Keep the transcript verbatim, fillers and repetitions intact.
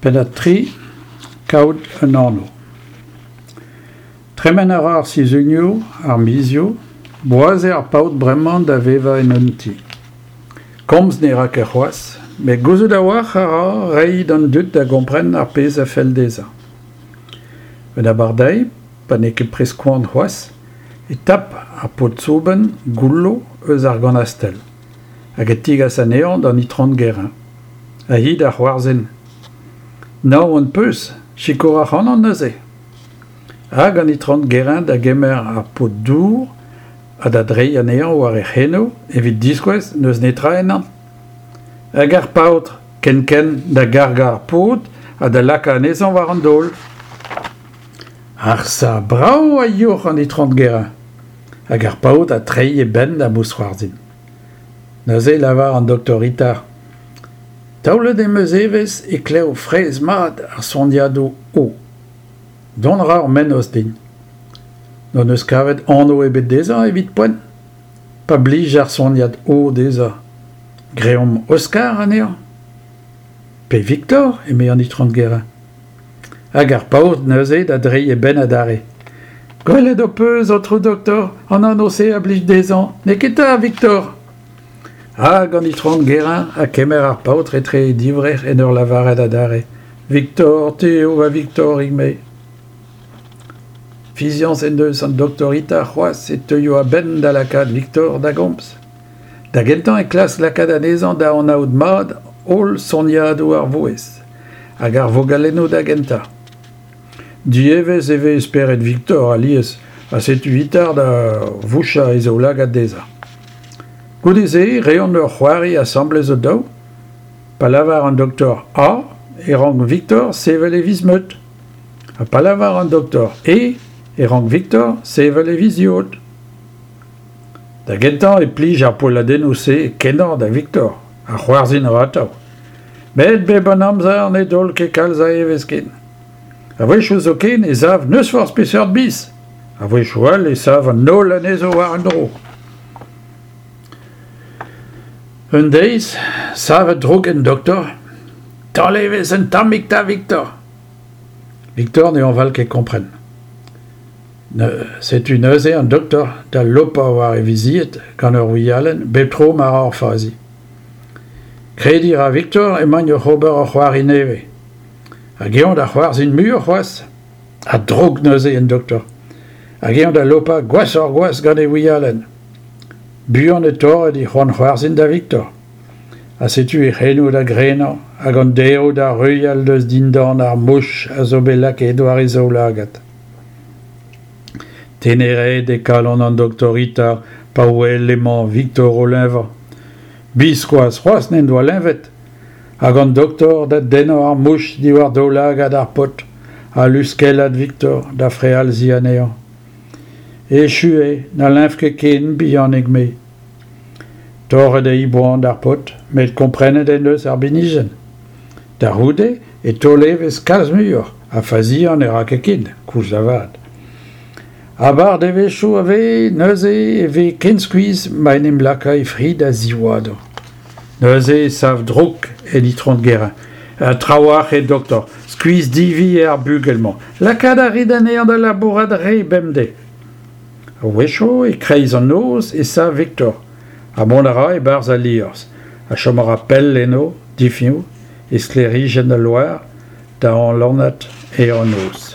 Pennad tri, Kaout un anv. Tremen a ra ar sizhunioù, ar mizioù, boas eo ar paotr bremañ da vevañ en un ti. Komz ne ra ket c'hoazh, met gouzout a-walc'h a ra reiñ d'an dud da gompren ar pezh a fell dezhañ. Un abardaez, pa n'eo ket prest koan c'hoazh, e tap ar pod-soubenn goullo eus ar ganastell hag e tegas anezhañ d'an Itron Guérin. Ha hi da c'hoarzhin. Naon 'peus, sikour ac'hanon neuze. Hag an Itron Guérin da gemer ar pod-dour ha da dreiñ anezhañ war e c'henoù evit diskouez n'eus netra ennañ. Hag ar paotr kenkent da gargañ ar pod ha da lakaat anezhañ war an daol. Arsa, brav a youc'h an Itron Guérin. Hag ar paotr ha treiñ e benn ha mousc'hoarzhin. Neuze e lavar an doktor Itard. Taolet em eus evezh e klev fraezh-mat ar soniadoù O. Dont a ra ur mennozh din. N'hon eus kavet anv ebet dezhañ evit poent. Pa blij ar soniad O dezhañ, greomp Oscar anezhañ. Pe Victor, eme an Itron Guérin. Hag ar paotr neuze da dreiñ e benn adarre. Gwelet ho peus, aotrou doktor, an anv-se a blij dezhañ, n'eo ket 'ta, Victor ? Hag an Itron Guérin ha kemer ar paotr etre he divrec'h en ur lavaret adarre Victor, te eo va Victorig-me. Fiziañs en deus an doktor Itard c'hoazh e teuio a-benn da lakaat Victor da gomz. Da gentañ e klask lakaat anezhañ da anaout mat holl soniadoù ar vouezh, hag ar vogalennoù da gentañ. Dievezh e vez spered Victor alies ha setu Itard da vouchañ e zaoulagad dezhañ. Goude-se e reont ur c'hoari asambles o-daou. Pa lavar an doktor A e rank Victor sevel e viz-meud. Ha pa lavar an doktor E e rank Victor sevel e viz-yod. Da gentañ e plij ar poelladennoù-se kenañ da Victor, ha c'hoarzhin a ra atav. Met bep an amzer ne daol ket kalz a evezh ken. A-wechoù zoken e sav n'eus forzh peseurt biz. A-wechoù all e sav an holl anezho war un dro. Un deiz, savet droug en doktor, Taol evezh un tammig 'ta, Victor ! Victor ne hañval ket kompren. Setu neuze an doktor da lopañ war e vizied gant ur wialenn bep tro ma ra ur fazi. Krediñ a ra Victor emaint oc'h ober ur c'hoari nevez. Hag eñ da c'hoarzhin muioc'h c'hoazh. Ha droug neuze en doktor. Hag eñ da lopañ gwashoc'h-gwazh gant e wialenn. Buan e torr e c'hoant c'hoarzhin da Victor. Ha setu e c'henoù da grenañ hag an daeroù da ruilhal eus dindan ar mouch a zo bet lakaet war e zaoulagad. Teneraet eo kalon an doktor Itard pa wel emañ Victor o leñvañ. Biskoazh c'hoazh n'en doa leñvet. Hag an doktor da dennañ ar mouch diwar daoulagad ar paotr ha luskellat Victor da frealziñ anezhañ. Echu eo, na leñv ket ken, bihanig-me. Torret eo e boan d'ar paotr, met komprenet en deus ar binijenn. Da c'houde e taol evezh kalz muioc'h ha faziañ ne ra ket ken, koulz lavaret. Abardaevezhioù a vez neuze e vez ken skuizh ma en em laka e fri da ziwadañ. Neuze e sav droug en Itron Guérin. Trawalc'h eo doktor, skuizh-divi eo ar bugel-mañ. Lakaat a rit anezhañ da labourat re bemdez. A-wechoù, e-kreiz an noz, e sav Victor ha mont a ra e-barzh al liorzh ha chom a ra pell eno, difiñv, e sklêrijenn al loar, da alanat e noz.